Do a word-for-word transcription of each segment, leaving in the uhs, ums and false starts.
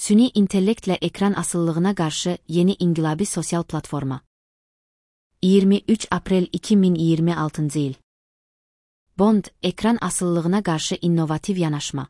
Süni intellektlə ekran asıllığına qarşı yeni inqilabi sosial platforma. iyirmi üç aprel iki min iyirmi altıncı il. Bond, ekran asıllığına qarşı innovativ yanaşma.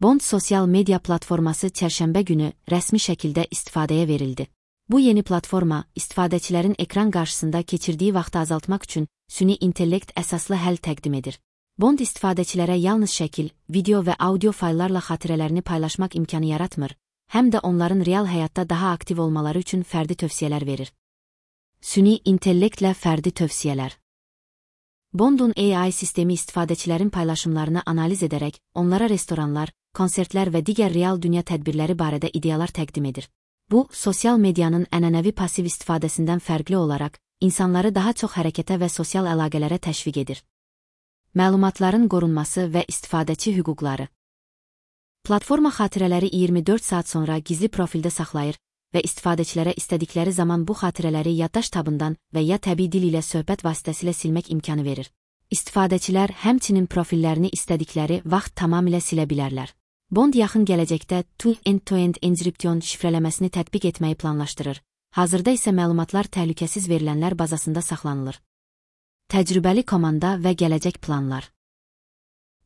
Bond sosial media platforması çərşənbə günü rəsmi şəkildə istifadəyə verildi. Bu yeni platforma, istifadəçilərin ekran qarşısında keçirdiyi vaxtı azaltmaq üçün süni intellekt əsaslı həll təqdim edir. Bond istifadəçilərə yalnız şəkil, video və audio fayllarla xatirələrini paylaşmaq imkanı yaratmır, həm də onların real həyatda daha aktiv olmaları üçün fərdi tövsiyələr verir. Süni intellektlə fərdi tövsiyələr. Bond'un A I sistemi istifadəçilərin paylaşımlarını analiz edərək, onlara restoranlar, konsertlər və digər real dünya tədbirləri barədə ideyalar təqdim edir. Bu, sosial medianın ənənəvi pasiv istifadəsindən fərqli olaraq, insanları daha çox hərəkətə və sosial əlaqələrə təşviq edir. Məlumatların qorunması və istifadəçi hüquqları. Platforma xatirələri iyirmi dörd saat sonra gizli profildə saxlayır və istifadəçilərə istədikləri zaman bu xatirələri yaddaş tabından və ya təbii dil ilə söhbət vasitəsilə silmək imkanı verir. İstifadəçilər həmçinin profillərini istədikləri vaxt tamamilə silə bilərlər. Bond yaxın gələcəkdə two end-to-end encryption şifrələməsini tətbiq etməyi planlaşdırır. Hazırda isə məlumatlar təhlükəsiz verilənlər bazasında saxlanılır. Təcrübəli komanda və gələcək planlar.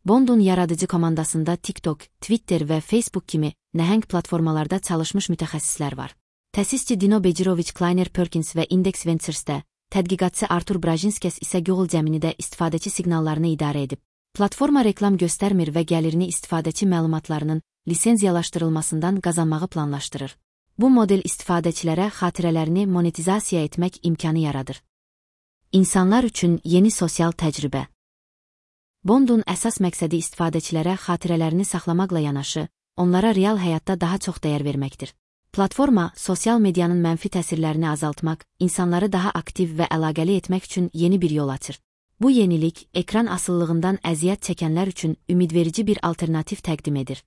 Bond'un yaradıcı komandasında TikTok, Twitter və Facebook kimi nəhəng platformalarda çalışmış mütəxəssislər var. Təsisçi Dino Bejirovic Kleiner Perkins və Index Ventures'də, tədqiqatçı Artur Brajinskes isə Google Gemini'də istifadəçi siqnallarını idarə edib. Platforma reklam göstərmir və gəlirini istifadəçi məlumatlarının lisenziyalaşdırılmasından qazanmağı planlaşdırır. Bu model istifadəçilərə xatirələrini monetizasiya etmək imkanı yaradır. İnsanlar üçün yeni sosial təcrübə. Bond'un əsas məqsədi istifadəçilərə xatirələrini saxlamaqla yanaşı, onlara real həyatda daha çox dəyər verməkdir. Platforma, sosial medianın mənfi təsirlərini azaltmaq, insanları daha aktiv və əlaqəli etmək üçün yeni bir yol açır. Bu yenilik, ekran asıllığından əziyyət çəkənlər üçün ümidverici bir alternativ təqdim edir.